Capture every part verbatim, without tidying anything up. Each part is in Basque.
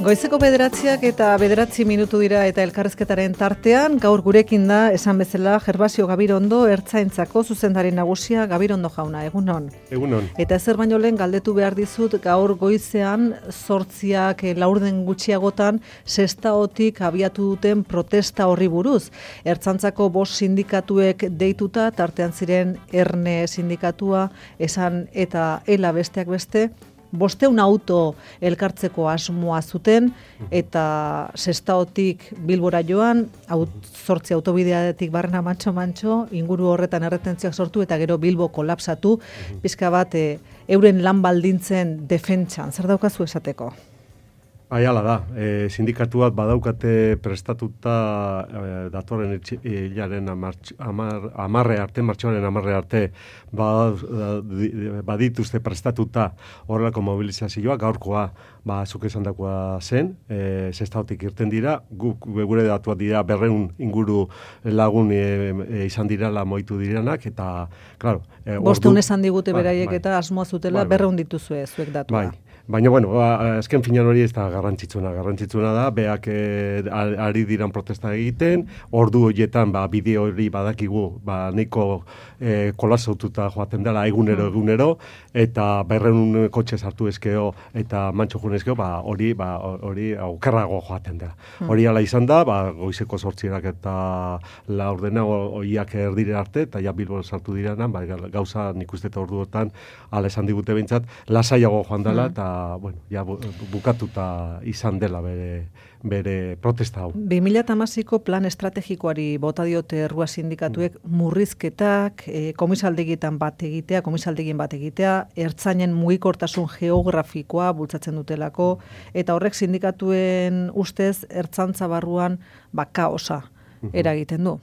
Goizeko bederatziak eta bederatzi minutu dira eta elkarrezketaren tartean, gaur gurekin da, esan bezala, Gervasio Gabirondo, Ertzaintzako zuzendari nagusia. Gabirondo jauna, egunon. Egunon. Eta ezer baino lehen galdetu behar dizut, gaur goizean, zortziak laurden gutxiagotan, Sestaotik abiatu duten protesta horri buruz. Ertzaintzako bost sindikatuek deituta, tartean ziren Erne sindikatua, esan eta Ela besteak beste, bosteun auto elkartzeko asmoa zuten eta Sestaotik Bilbora joan, aut, zortzi autobideatik barrena mantxo-mantxo, inguru horretan erretentziak sortu eta gero Bilbo kolapsatu, pizka bat e, euren lan baldintzen defentsan. Zer daukazu esateko? Bai, hala da. E, sindikatuak badaukate prestatuta e, datorren hilaren amarre arte, martxoaren amarre arte, badituzte prestatuta horrelako mobilizazioa, gaurkoa, ba, zuk esan dakoa zen, e, Sestaotik irten dira, guk gure datuak dira berreun inguru lagun e, e, izan dirala moitu diranak, eta, klaro... E, Bosteun esan digute beraiek bai, eta asmoa zutela, bai, berreun dituzue zuek datua. Bai. Baina, bueno, azken finan hori ez da garrantzitsuna. Garrantzitsuna da, beak eh, ari diran protesta egiten, ordu horietan, ba, bideo hori badakigu, ba, nahiko eh, kolapsatuta joaten dela egunero egunero, eta berreun kotxe sartu ezkeo, eta mantxo jun ezkeo, ba, hori, ba, hori aukerrago joaten dela. Hori ala izan da, ba, goizeko sortzierak eta laurdena horiak erdire arte, eta ja Bilbo sartu diranan, ba, gauza nik uste eta orduotan, ala esan digute behintzat, lasaiago joan dela, eta bueno, ja bukatuta izan dela bere, bere protesta hau. bi mila hamaseiko plan estrategikoari bota diote errua sindikatuek murrizketak, e, komisaldegietan bat egitea, komisaldegien bat egitea, ertzainen mugikortasun geografikoa bultzatzen dutelako, eta horrek sindikatuen ustez ertzantza barruan ba, kaosa eragiten du.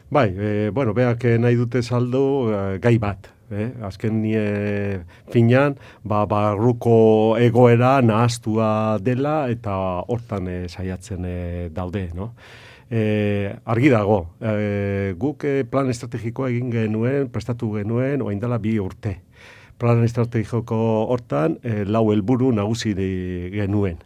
Bai, e, bueno, beak nahi dute saldo e, gai bat. Eh, azken nie finan, ba, barruko egoera nahastua dela eta hortan eh, saiatzen eh, daude, no? Eh, argi dago, eh, guk eh, plan estrategikoa egin genuen, prestatu genuen, orain dela bi urte. Plan estrategiko hortan, eh, lau helburu nagusi genuen.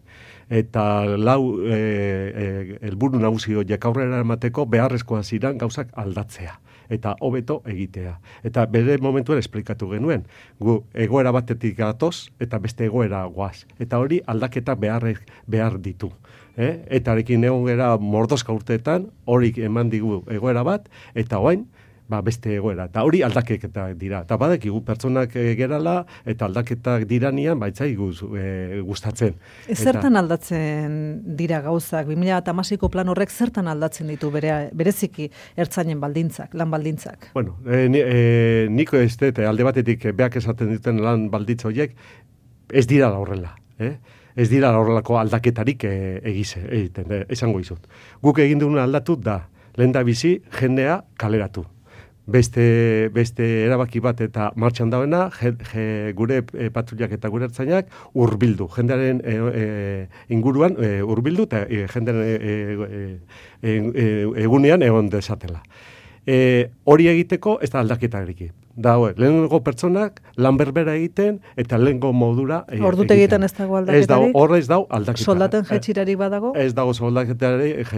Eta lau eh, helburu eh, nagusi horiek aurrera emateko beharrezkoa ziren gauzak aldatzea eta hobeto egitea. Eta bere momentuan esplikatu genuen. Gu egoera batetik gatoz eta beste egoera goaz. Eta hori aldaketa behar, behar ditu. Eh? Eta arekin egon gara mordoska urteetan, hori eman digu egoera bat, eta orain ba, beste egoera. Eta hori aldaketak dira. Eta badakigu pertsonak e, gerala eta aldaketak diranian baitzai guz, e, gustatzen. E, zertan eta... aldatzen dira gauzak? bi mila hamaseiko plan horrek zertan aldatzen ditu bere, bereziki ertzainen baldintzak, lan baldintzak? Bueno, e, ni, e, niko ez dut, alde batetik beak esaten duten lan baldintza horiek, ez dira horrela. Eh? Ez dira horrelako aldaketarik e, egize, egiten, e, esango izut. Guk egin duguna aldatu da, lehen da bizi jendea kaleratu. Beste, beste erabaki bat eta martxan dauena, je, je, gure e, patrullak eta gure ertzainak hurbildu. Jendearen e, e, inguruan e, hurbildu eta e, jendearen e, e, e, e, egunean egon desatela. E, hori egiteko ez da aldaketarik. Da, lehenengo pertsonak lan berbera egiten eta lehenengo modura e, ordutegietan ez dago aldaketarik? Ez dago, horre ez dago aldaketarik. Soldaten jetxirarik badago? Ez dago soldatetarik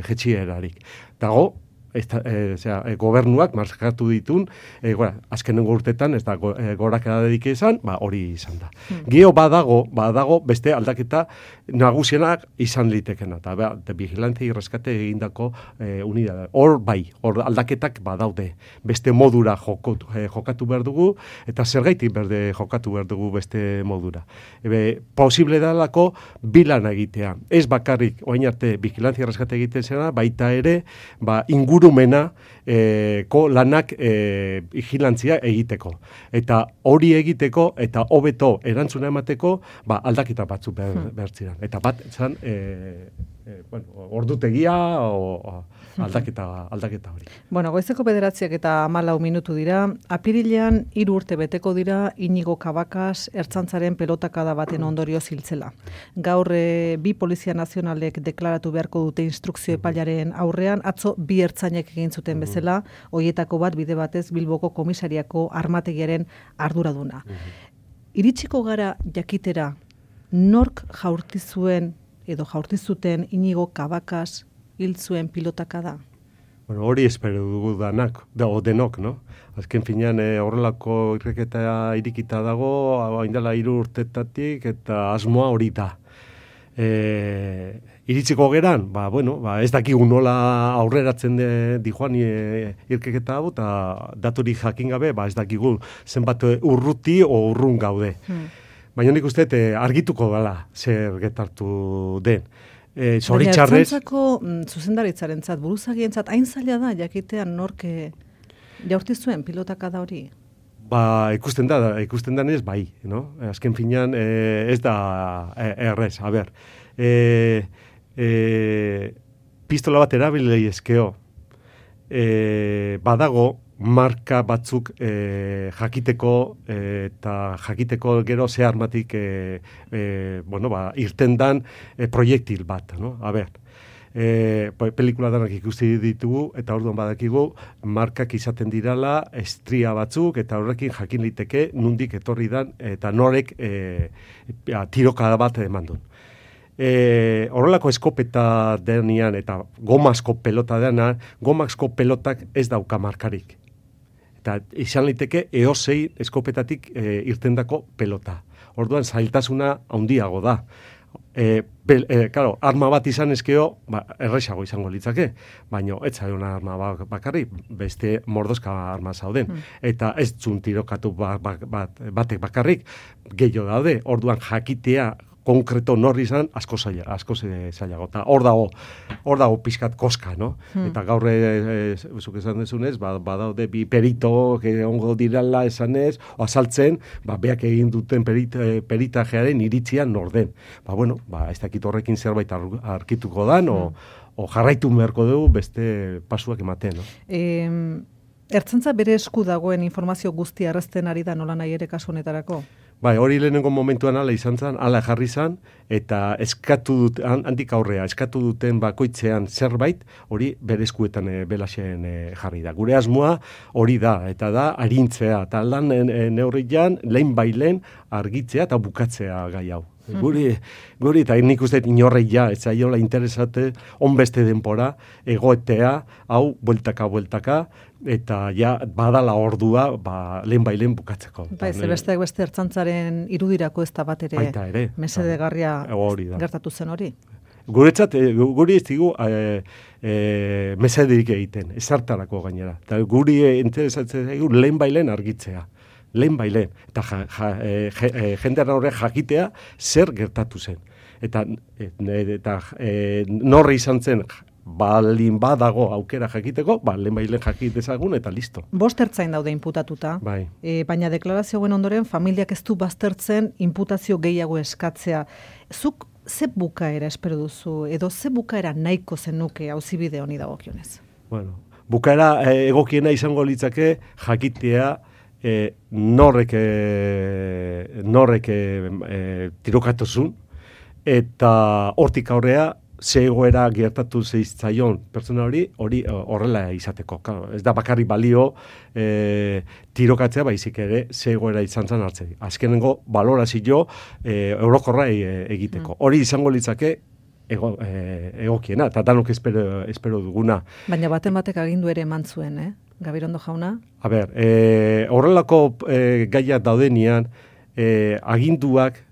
jetxierarik. Dago, Esta, e, zera, e, gobernuak markatu ditun, e, gora, azkenengo urtetan ez da go, e, gorakada dedike izan, ba, hori izan da. Hmm. Geo badago, badago beste aldaketa nagusienak izan litekena, eta ba, vigilante irreskate egindako e, unidad. Hor bai, hor aldaketak badaude, beste modura jokatu, e, jokatu behar dugu, eta zergaitik berde jokatu behar dugu beste modura. Ebe, posible dalako bilan egitea. Ez bakarrik, oain arte, vigilante irreskate egiten zena, baita ere, ba, ingur ingurumena eh, ko lanak eh, vigilantzia egiteko. Eta hori egiteko eta hobeto erantzuna emateko ba, aldaketa batzu behar, behar ziren. Eta bat, zan, eh, eh, bueno, ordutegia o, o aldaketa, aldaketa hori. Bueno, goizeko bederatziak eta hamalau minutu dira. Apirilean hiru urte beteko dira Inigo Kabakaz ertzaintzaren pelotakada baten ondorio ziltzela. Gaur e, bi polizia nazionalek deklaratu beharko dute instrukzio epailaren aurrean, atzo bi ertzainek egin zuten bezala, hoietako bat bide batez Bilboko komisariako armategiaren arduraduna. Iritsiko gara jakitera nork jaurti zuen edo jaurti zuten Inigo Cabacas hil zuen pilotaka da? Bueno, hori espero dugu danak, da, o denok, no? Azken finean e, horrelako irreketa irikita dago, haindela hiru urtetatik eta asmoa hori da. E, iritsiko geran, ba, bueno, ba, ez dakigu nola aurreratzen de, dijoan e, irkeketa hau, eta daturi jakin gabe, ba, ez dakigu zenbat urruti o urrun gaude. Hmm. Baina nik uste e, argituko dela zer getartu den. E, Baina ertzantzako mm, zuzendaritzarentzat, buruzagientzat, hain zaila da, jakitean norke jaurti zuen pilotaka da hori? Ba, ikusten da, ikusten da ez bai, no? Azken finean e, ez da e, errez, a ber. E, e, pistola bat erabilei eskeo, e, badago, marka batzuk e, jakiteko e, eta jakiteko gero ze armatik e, e, bueno, ba, irten dan e, proiektil bat, no? A ber, e, pelikula danak ikusi ditugu eta orduan badakigu markak izaten dirala estria batzuk eta horrekin jakin liteke nundik etorri dan eta norek e, tirokada bat eman duen. E, horrelako eskopeta denean eta gomazko pelota denean, gomazko pelotak ez dauka markarik. Eta izan liteke eosei eskopetatik e, irtendako pelota. Orduan zailtasuna handiago da. E, pel, e, claro, arma bat izan eskeo, ba, erresago izango litzake, baina ez zaiona arma bakarrik, beste mordozka arma zauden. Hmm. Eta ez zun tirokatu bat, bat, bat, batek bakarrik, gehiago daude, orduan jakitea konkreto norri izan, asko zaila, asko zailago. Eta hor dago, hor dago pixkat koska, no? Hmm. Eta gaur, e, e, zuk esan dezunez, ba, badaude bi perito, ongo dirala esanez, o azaltzen, ba, beak egin duten perit, peritajearen iritzian norden. Ba, bueno, ba, ez dakit horrekin zerbait arkituko dan, hmm. o, o jarraitu beharko dugu beste pasuak ematen, no? E, Ertzantza bere esku dagoen informazio guztia errezten ari da nola nahi ere kasu honetarako? Bai, hori lehenengo momentuan ala izan zen, ala jarri zen, eta eskatu dut, handik aurrea, eskatu duten bakoitzean zerbait, hori bere eskuetan e, belaxen e, jarri da. Gure asmoa hori da, eta da arintzea, eta lan e, neurrian, lehen bailen argitzea eta bukatzea gai hau. Mm-hmm. Guri, guri, eta nik uste inorreia, ez zaiola interesate, onbeste denpora, egoetea, hau, bueltaka, bueltaka, eta ja badala ordua ba, lehen bailen bukatzeko. Bai, ze besteak beste ertzantzaren irudirako ez da bat ere, ere mesedegarria gertatu zen hori. Guretzat, guri ez digu e, e, mesederik egiten, ezartarako gainera. Eta guri interesatzen zaigu lehen bailen argitzea. Lehen bailen. Eta ja, ja, e, jendean horrek jakitea zer gertatu zen. Eta, e, eta e, norri izan zen balin badago aukera jakiteko, ba, lehen bailen jakit dezagun eta listo. Bost ertzain daude inputatuta, bai. E, baina deklarazio guen ondoren familiak ez du baztertzen inputazio gehiago eskatzea. Zuk ze bukaera espero duzu, edo ze bukaera nahiko zenuke auzibide honi dagokionez? Bueno, bukaera e, egokiena izango litzake jakitea e, norrek, e, norrek e, e, tirokatuzun, eta hortik aurrea ze egoera gertatu zeitzaion pertsona hori, hori horrela izateko. Claro, ez da bakarrik balio e, tirokatzea baizik ere ze egoera izan zan hartzei. Azkenengo balorazio e, eurokorra e, egiteko. Mm. Hori izango litzake ego, e, egokiena, eta danok espero, espero duguna. Baina baten batek agindu ere eman zuen, eh? Gabirondo jauna? A ber, e, horrelako e, gaiak daudenian, e, aginduak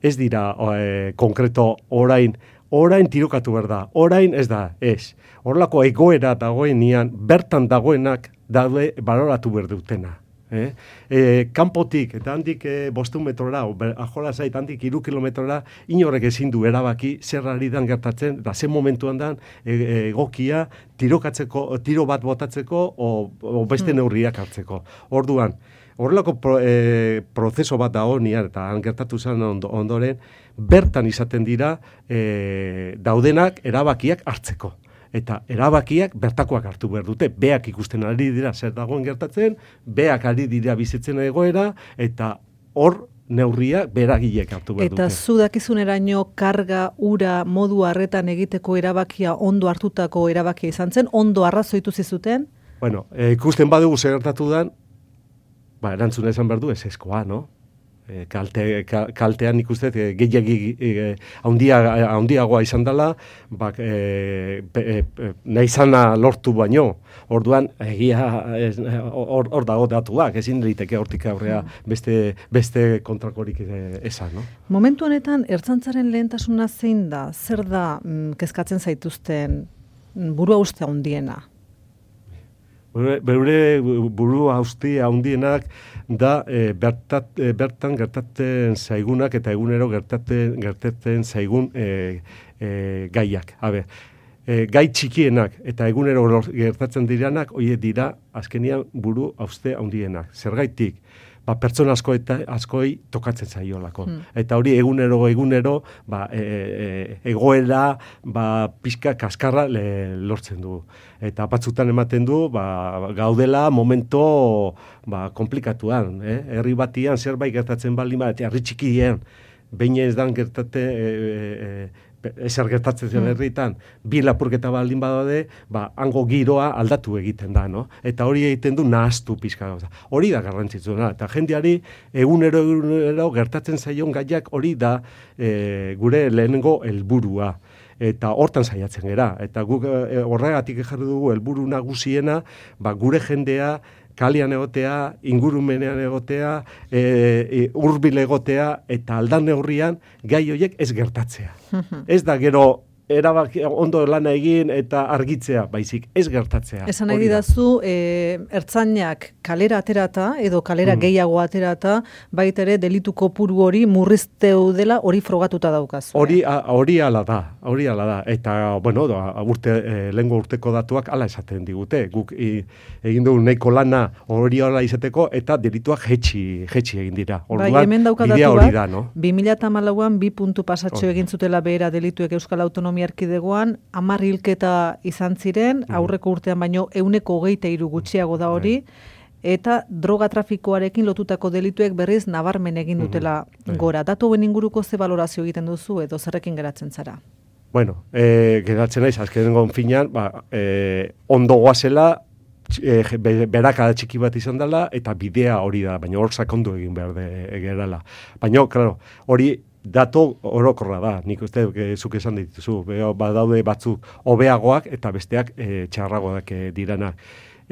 ez dira e, konkreto orain, orain tirokatu behar da, orain ez da, ez. Horrelako egoera dagoenian, bertan dagoenak daude baloratu behar dutena. Eh? E, kanpotik, eta handik e, bostun metrora, ajola zait, handik iru kilometrora, inorrek ezin du erabaki zer ari dan gertatzen, eta zen momentuan dan e, egokia tirokatzeko, tiro bat botatzeko, o, o beste neurriak hartzeko. Orduan, horrelako pro, e, prozeso bat da honian, eta han gertatu zen ondoren, bertan izaten dira e, daudenak erabakiak hartzeko. Eta erabakiak bertakoak hartu behar dute. Beak ikusten ari dira zer dagoen gertatzen, beak ari dira bizitzen egoera, eta hor neurriak beragilek hartu behar dute. Eta zu dakizuneraino karga, ura, modu harretan egiteko erabakia ondo hartutako erabakia izan zen, ondo arrazoitu zizuten? Bueno, e, ikusten badugu zer gertatu dan, ba, erantzuna esan behar du ez eskoa, no? E, kalte, kaltean ikuste e, gehiagi e, haundia, haundiagoa izan dela, bak, e, e, e, nahi zana lortu baino, orduan egia hor or, dago datuak, ezin liteke hortik aurrea beste, beste kontrakorik esan, no? Momentu honetan, ertzaintzaren lehentasuna zein da? Zer da mm, kezkatzen zaituzten burua uste handiena? Beure buru hausti handienak da e, bertat, e, bertan gertatzen zaigunak eta egunero gertatzen, gertatzen zaigun e, e, gaiak. Habe, e, gai txikienak eta egunero gertatzen diranak, horiek dira azkenian buru hauste handienak. Zergaitik? Ba, pertsona asko eta askoi tokatzen zaiolako. Hmm. Eta hori egunero egunero ba, e, e, egoera ba, pixka kaskarra le, lortzen du. Eta batzutan ematen du ba, gaudela momento ba, komplikatuan. Eh? Herri batian zerbait gertatzen baldin bat, herri txikien, behin ez dan gertate... E, e, ezer gertatzen zen herritan, bi lapurketa baldin badaude, ba, hango giroa aldatu egiten da, no? Eta hori egiten du nahaztu pixka gauza. Hori da garrantzitsuna, eta jendeari egunero egunero gertatzen zaion gaiak hori da e, gure lehenengo helburua. Eta hortan saiatzen gera. Eta guk e, horregatik jarri dugu helburu nagusiena, ba, gure jendea kalian egotea, ingurumenean egotea, e, e, hurbil egotea, eta aldan neurrian gai horiek ez gertatzea. Ez da gero erabaki ondo lana egin eta argitzea, baizik ez gertatzea. Esan nahi didazu, e, ertzainak kalera aterata, edo kalera mm. gehiago aterata, baita ere delitu kopuru hori murrizteu dela hori frogatuta daukazu. Hori, hori ala da, hori ala da. Eta, bueno, urte, e, lehengo urteko datuak ala esaten digute. Guk i, egin dugu nahiko lana hori ala izateko, eta delituak jetxi, jetxi egin dira. Orduan, bai, hemen dauka bidea datu hori da, no? bi mila hamalauan bi puntu pasatxo egin zutela behera delituek Euskal Autonomia Erkidegoan, hamar hilketa izan ziren, aurreko urtean baino ehuneko hogeita hiru gutxiago da hori, eta droga trafikoarekin lotutako delituek berriz nabarmen egin dutela gora. Datu hoben inguruko ze balorazio egiten duzu edo zerrekin geratzen zara? Bueno, e, geratzen naiz, azkenengo finean, ba, e, ondo goazela, e, berakada txiki bat izan dela, eta bidea hori da, baina hor sakondu egin behar de, gerala. Baina, klaro, hori dato orokorra da, nik uste e, zuk esan dituzu, badaude batzuk hobeagoak eta besteak e, txarragoak e, diranak.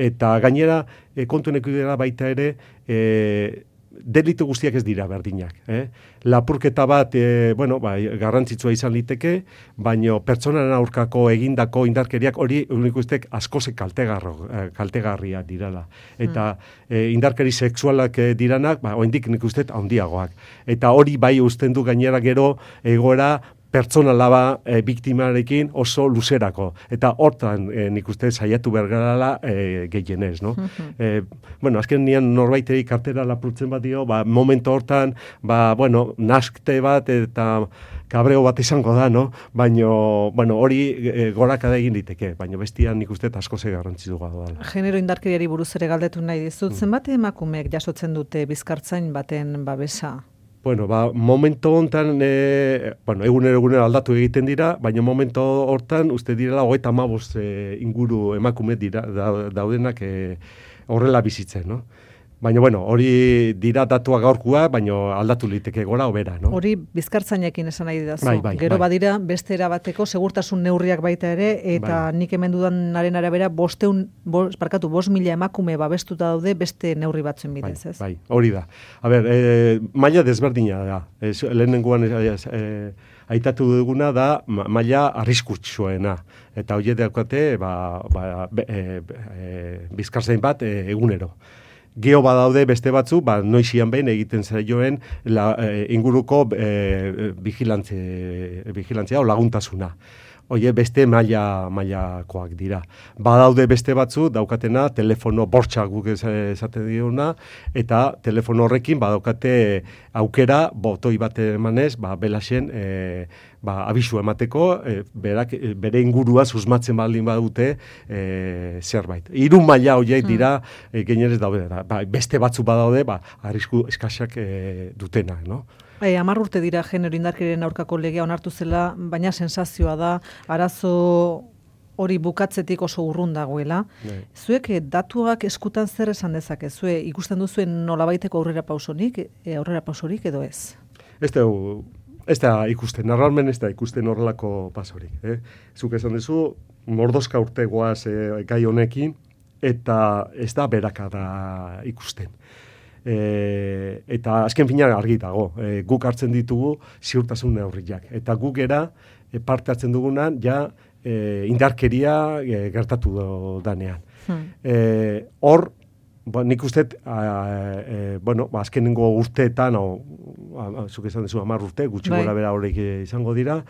Eta gainera, e, kontuenek dira baita ere, e, delitu guztiak ez dira berdinak. Eh? Lapurketa bat, e, bueno, ba, garrantzitsua izan liteke, baino pertsonaren aurkako egindako indarkeriak hori unik ustek askoze kaltegarria dirala. Eta e, indarkeri sexualak e, diranak, ba, oendik nik ustet handiagoak. Eta hori bai usten du gainera gero egoera pertsonala ba, e, biktimarekin oso luzerako. Eta hortan e, nik uste saiatu bergarala e, gehienez, no? e, bueno, azken nian norbaitei kartera lapurtzen bat dio, ba, momento hortan, ba, bueno, naskte bat eta kabreo bat izango da, no? Baino, bueno, hori e, gorakada egin diteke, baino bestian nik uste asko ze garrantzitu gado dela. Genero indarkeriari buruz ere galdetu nahi dizut, zenbat emakumeek jasotzen dute bizkartzain baten babesa? Bueno, ba, momento hontan, e, bueno, egunero egunero aldatu egiten dira, baina momento hortan, uste direla, hogeita hamabost e, inguru emakume dira, da, daudenak e, horrela bizitzen, no? Baina, bueno, hori dira datua gaurkua, baina aldatu liteke gora obera, no? Hori bizkartzainekin esan nahi didazu. Bai, bai, Gero bai. badira beste erabateko segurtasun neurriak baita ere, eta bai. Nik hemen dudanaren arabera bosteun, bos, parkatu, bost mila emakume babestuta daude beste neurri batzuen bidez, bai, ez? Bai, hori da. A ber, e, maila desberdina da. E, lehenengoan e, e, aitatu duguna da maila arriskutsuena. Eta hori daukate, ba, ba, e, e, bizkartzain bat e, egunero. Geo badaude beste batzu, ba, noizian behin egiten zaioen la, e, inguruko e, vigilantzia, vigilantzia o laguntasuna. Oie, beste maila mailakoak dira. Badaude beste batzu, daukatena, telefono bortxa guk esaten diona, eta telefono horrekin badaukate aukera, botoi bat emanez, ba, belaxen, e, ba, abisu emateko, e, berak, bere ingurua susmatzen baldin badute e, zerbait. Hiru maila horiek dira, hmm. e, gainerez daude. Ba, beste batzu badaude, ba, arrisku eskasak e, dutenak, no? E, Amar urte dira genero indarkeriaren aurkako legea onartu zela, baina sensazioa da, arazo hori bukatzetik oso urrun dagoela. Ne. Zuek eh, datuak eskutan zer esan dezake? Zue ikusten duzuen nolabaiteko aurrera pausonik, e, aurrera pausorik edo ez? Ez da, ez da ikusten, normalmen ez da ikusten horrelako pasorik. Eh? Zuk esan duzu, mordoska urte goaz eh, gai honekin, eta ez da berakada ikusten. E, eta azken fina argi dago, e, guk hartzen ditugu ziurtasun neurriak. Eta guk era e, parte hartzen dugunan, ja e, indarkeria e, gertatu danean. Hmm. E, hor, ba, nik uste, e, bueno, ba, azkenengo urteetan, o, zuk esan dezu, hamar urte, gutxi gora bera horiek izango dira,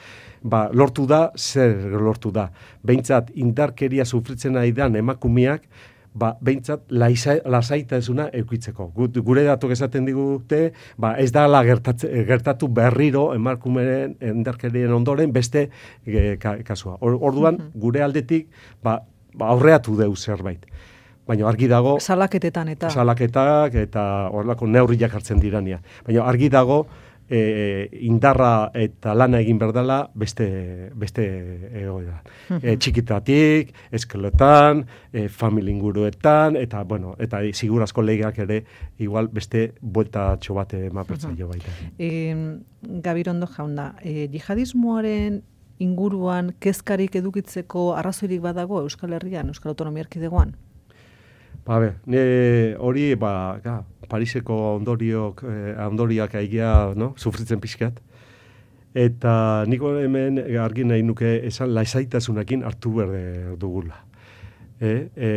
ba, lortu da, zer lortu da. Behintzat, indarkeria sufritzen ari dan emakumeak, ba, behintzat, lasaitasuna eukitzeko. Gure datok esaten digute, ba, ez da gertatu berriro emakumeen indarkerien ondoren beste e, ka, kasua. Orduan, gure aldetik, ba, ba, aurreatu deu zerbait. Baina argi dago... Salaketetan eta... Salaketak eta horrelako neurriak hartzen dirania. Baina argi dago e, indarra eta lana egin berdala beste, beste egoera. E, txikitatik, eskeletan, e, familinguruetan, eta, bueno, eta sigurazko legeak ere igual beste buelta txobate mapertzaio baita. E, Gabirondo jauna, e, jihadismoaren inguruan kezkarik edukitzeko arrazoirik badago Euskal Herrian, Euskal Autonomia Erkidegoan? Ba, be, ne, hori, ba, ga, Pariseko ondoriok, eh, ondoriak aigia, no, sufritzen pixkat. Eta niko hemen argi nahi nuke esan lasaitasunakin hartu behar dugula. E, e,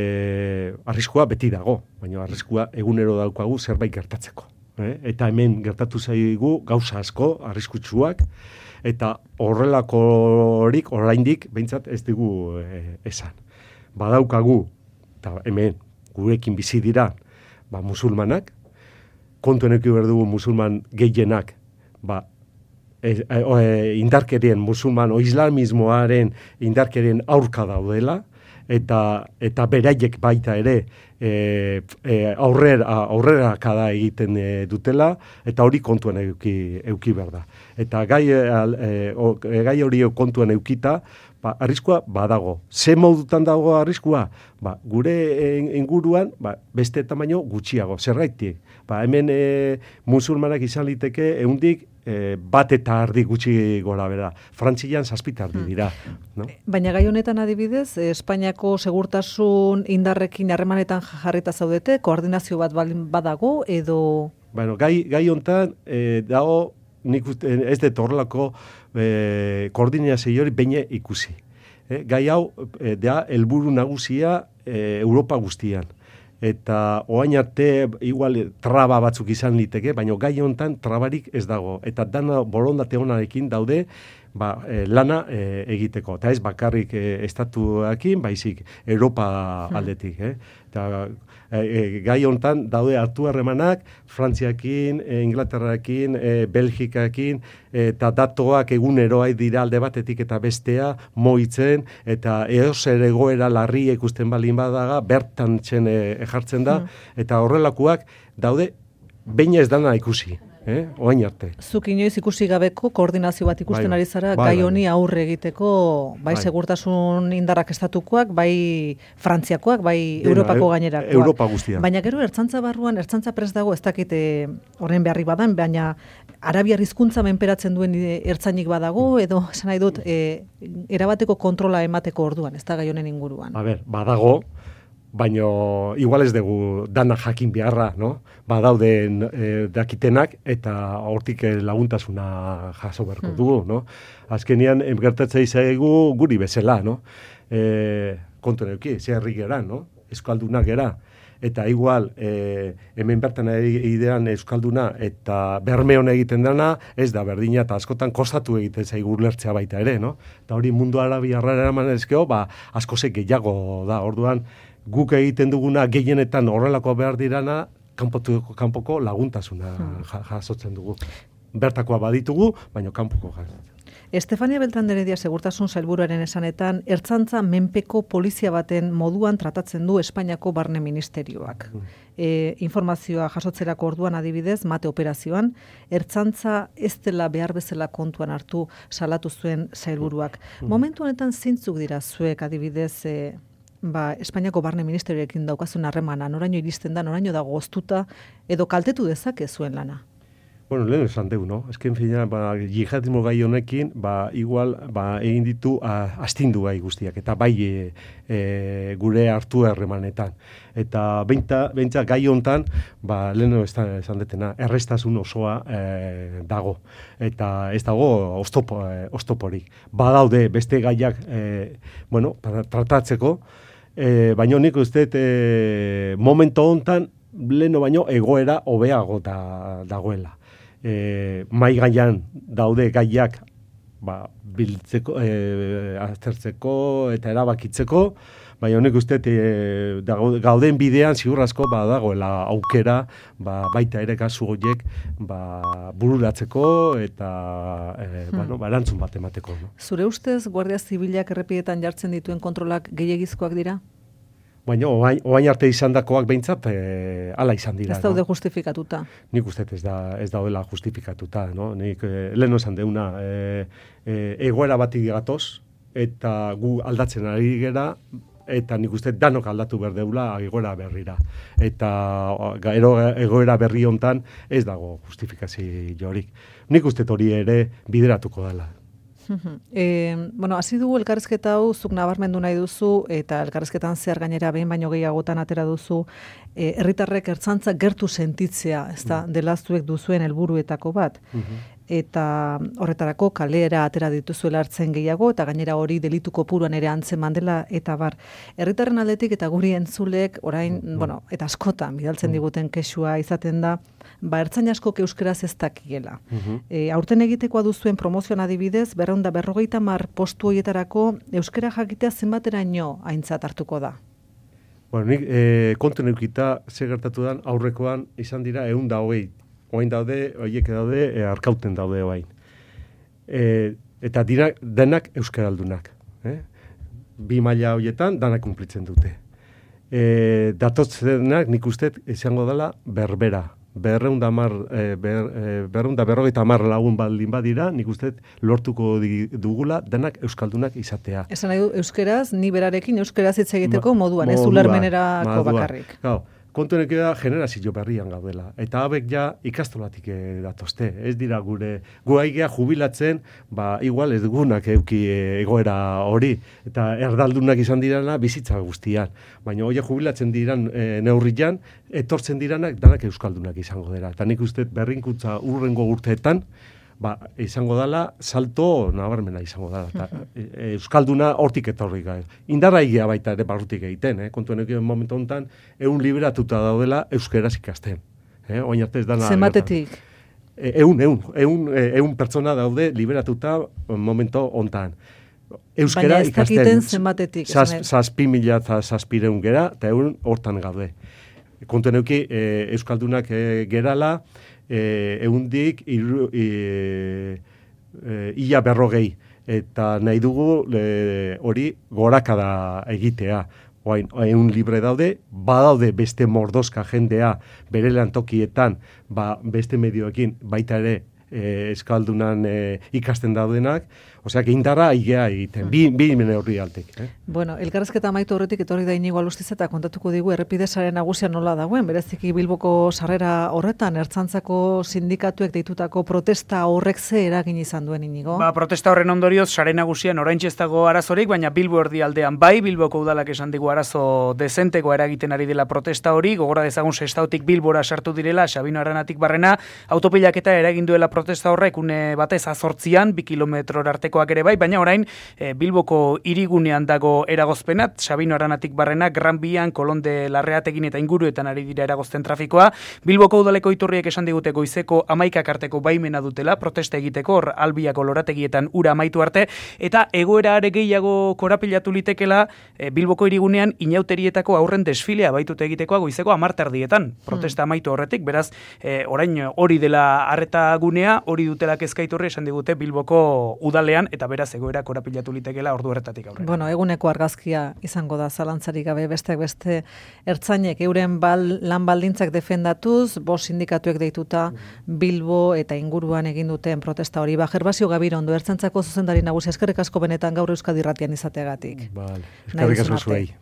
arriskua beti dago, baina arriskua egunero daukagu zerbait gertatzeko. E, eta hemen gertatu zaigu gauza asko, arriskutsuak, eta horrelakorik, oraindik, behintzat ez dugu e, esan. Badaukagu, eta hemen, gurekin bizi dira, ba, musulmanak, kontuen eki behar dugu musulman gehienak, ba, e, e, e, indarkerien, musulman o islamismoaren indarkerien aurka daudela, eta, eta beraiek baita ere e, e, aurrera, aurrera kada egiten e, dutela, eta hori kontuen euki, euki behar da. Eta gai, e, o, gai hori kontuen eukita, ba, arriskua badago. Ze modutan dago arriskua? Ba, gure inguruan ba, beste tamaino gutxiago. Zergaitik? Ba, hemen e, musulmanak izan liteke ehundik e, bat eta ardi gutxi gora bera. Frantzian zazpita ardi dira. No? Baina gai honetan adibidez, Espainiako segurtasun indarrekin harremanetan jarrita zaudete, koordinazio bat badago edo... Bueno, gai, gai honetan e, dago nik ez dut horrelako e, koordinazio hori beine ikusi. E, gai hau e, da helburu nagusia e, Europa guztian. Eta oain arte igual traba batzuk izan liteke, baina gai honetan trabarik ez dago. Eta dana borondate honarekin daude ba, e, lana e, egiteko. Eta ez bakarrik e, estatuakin, baizik Europa aldetik. Eh? Eta e, e, gai honetan daude hartu harremanak Frantziakin, e, Inglaterrakin, e, Belgikakin, eta datoak eguneroa dira alde batetik eta bestea moitzen, eta eozer egoera larri ikusten balin badaga, bertan txen e, jartzen da, eta horrelakoak daude baina ez dana ikusi. Eh? Oain arte. Zuk inoiz ikusi gabeko koordinazio bat ikusten bai, ari zara bai, gai honi bai. aurre egiteko bai, bai segurtasun indarrak estatukoak, bai Frantziakoak, bai Dena, Europako gainerakoak. Europa guztia. Baina gero ertzantza barruan, ertzantza prest dago, ez dakite horren beharri badan, baina arabiar hizkuntza menperatzen duen ertzainik badago, edo esan nahi dut, e, erabateko kontrola emateko orduan, ez da gai honen inguruan. A ber, badago, baina igual ez dugu dana jakin beharra, no? Badaude e, dakitenak eta hortik laguntasuna jaso beharko hmm. dugu, no? Azkenean gertatzea izaigu guri bezala, no? E, kontu neuki, ze herri gera, no? Euskaldunak gera. Eta igual, e, hemen bertan idean euskalduna eta bermeon egiten dana, ez da berdina eta askotan kostatu egiten zaigu lertzea baita ere, no? Eta hori mundu arabiarra eraman ezkeo, ba, asko ze gehiago da, orduan, guk egiten duguna gehienetan horrelako behar dirana, kanpotu, kanpoko laguntasuna jasotzen dugu. Bertakoa baditugu, baina kanpoko jasotzen. Estefania Beltrán de Heredia segurtasun sailburuaren esanetan, ertzantza menpeko polizia baten moduan tratatzen du Espainiako Barne Ministerioak. E, informazioa jasotzerako orduan adibidez, mate operazioan, ertzantza ez dela behar bezala kontuan hartu salatu zuen sailburuak. Momentu honetan zintzuk dira zuek adibidez, e, ba, Espainiako Barne Ministerioekin daukazun harremana, noraino iristen da, noraino dago goztuta, edo kaltetu dezake zuen lana? Bueno, lehen esan deu, no? Ezken fina, ba, jihadismo gai honekin, ba, igual, ba, egin ditu a, astindu gai guztiak, eta bai e, e, gure hartu erremanetan. Eta beintza gai hontan, ba, lehen esan detena, errestasun osoa e, dago. Eta ez dago oztopo, e, oztoporik. Badaude beste gaiak, e, bueno, tratatzeko, e, baina nik uste e, momento hontan, leno baino egoera hobeago da, dagoela. E, mai gaian daude gaiak ba, biltzeko, e, aztertzeko eta erabakitzeko, baina honek uste e, gauden bidean ziurrazko ba, dagoela aukera ba, baita ere kasu horiek ba, bururatzeko eta e, hmm. bueno, ba, erantzun bat emateko. No? Zure ustez Guardia Zibilak errepidetan jartzen dituen kontrolak gehiegizkoak dira? Baina, oain, oain arte izandakoak behintzat, e, ala izan dira. Ez daude no? justifikatuta. Nik uste ez, da, ez daudela justifikatuta. No? Nik e, lehen esan deuna, e, e, egoera batik gatoz, eta gu aldatzen ari gera, eta nik uste danok aldatu behar deula egoera berrira. Eta ero, egoera berri hontan ez dago justifikaziorik. Nik uste hori ere bideratuko dela. E, bueno, hasi dugu elkarrizketa hau, zuk nabarmendu nahi duzu, eta elkarrizketan zehar gainera behin baino gehiagotan atera duzu, e, herritarrek ertzantza gertu sentitzea, ez da, dela zuek duzuen helburuetako bat. Eta horretarako kalera atera dituzuela hartzen gehiago, eta gainera hori delitu kopuruan ere antzeman dela, eta bar. Herritarren aldetik eta guri entzulek, orain, bueno, eta askotan bidaltzen diguten kexua izaten da, ba, ertzain askok euskeraz ez dakiela. E, aurten egitekoa duzuen promozioan adibidez, berreun da berrogeita mar postu horietarako euskera jakitea zenbateraino aintzat hartuko da? Bueno, nik e, kontu neukita ze gertatu dan aurrekoan izan dira ehun da hogei. Oain daude, horiek daude, e, arkauten daude oain. E, eta dira, denak euskaraldunak. Eh? Bi maila horietan danak kumplitzen dute. E, datotzenak nik uste izango dela berbera. Berreunda mar, e, ber, e, berreunda berrogeita mar lagun baldin badira, nik uste lortuko dugula denak euskaldunak izatea. Esan nahi du, euskeraz, ni berarekin euskeraz hitz egiteko Ma, moduan, ez ulermenerako bakarrik. Gau, kontu honek da generazio berrian gaudela. Eta abek ja ikastolatik datozte. Ez dira gure, gu aigea jubilatzen, ba, igual ez dugunak euki egoera hori. Eta erdaldunak izan dirana bizitza guztian. Baina hori jubilatzen diran e, neurrian, etortzen diranak danak euskaldunak izango dira. Eta nik uste berrinkutza urrengo urteetan, ba, izango dela, salto nabarmena izango dela. Ta, e, euskalduna hortik etorri gai. Indarra egia baita ere barrutik egiten, eh? Kontuen egin momentu honetan, eun liberatuta daudela euskeraz ikasten. Eh? Oin arte ez dana... Zenbatetik? Eun, eun, eun, eun pertsona daude liberatuta momentu honetan. Euskera baina ez dakiten zenbatetik. Zazpi mila eta zazpireun gera, eta eun hortan gaude. Kontuen egin e, euskaldunak e, gerala, E, eundik iru, e, e, ia berrogei eta nahi dugu hori e, gorakada egitea. Oain, eun libre daude, badaude beste mordoska jendea bere lantokietan, ba, beste medioekin baita ere e, eskaldunan e, ikasten daudenak, osea, indarra aigea egiten, bi, bi neurri altek. Eh? Bueno, elkarrezketa amaitu horretik etorri da Inigo Alustiz eta kontatuko digu errepide sare nagusia nola dagoen, bereziki Bilboko sarrera horretan, ertzantzako sindikatuek deitutako protesta horrek ze eragin izan duen Inigo? Ba, protesta horren ondorioz, sare nagusian oraintxe ez dago arazorik, baina Bilbo erdialdean bai, Bilboko udalak esan digu arazo dezenteko eragiten ari dela protesta hori, gogora dezagun Sestautik Bilbora sartu direla, Sabino Aranatik barrena, autopilaketa eragin duela protesta horrek une batez azortzian, bi kilometro artekoak ere bai, baina orain e, Bilboko hirigunean dago eragozpenat, Sabino Aranatik barrena, Gran Bian, Kolonde Larreatekin eta inguruetan ari dira eragozten trafikoa. Bilboko udaleko iturriek esan digute goizeko hamaikak arteko baimena dutela, protesta egiteko, hor Albiako lorategietan ura amaitu arte, eta egoera are gehiago korapilatu litekela e, Bilboko hirigunean inauterietako aurren desfilea baitute egitekoa goizeko hamarterdietan, protesta amaitu horretik, beraz, e, orain hori dela arreta gunea, hori dutela kezkaiturri esan digute Bilboko udalean, zuenean, eta beraz egoera korapilatu litekela ordu horretatik aurrera. Bueno, eguneko argazkia izango da zalantzarik gabe besteak beste ertzainek euren bal, lan baldintzak defendatuz, bost sindikatuek deituta Bilbo eta inguruan egin duten protesta hori. Ba, Gervasio Gabirondo, Ertzaintzako zuzendari nagusia, eskerrik asko benetan gaur Euskadi Irratian izateagatik. Vale, eskerrik asko zuei.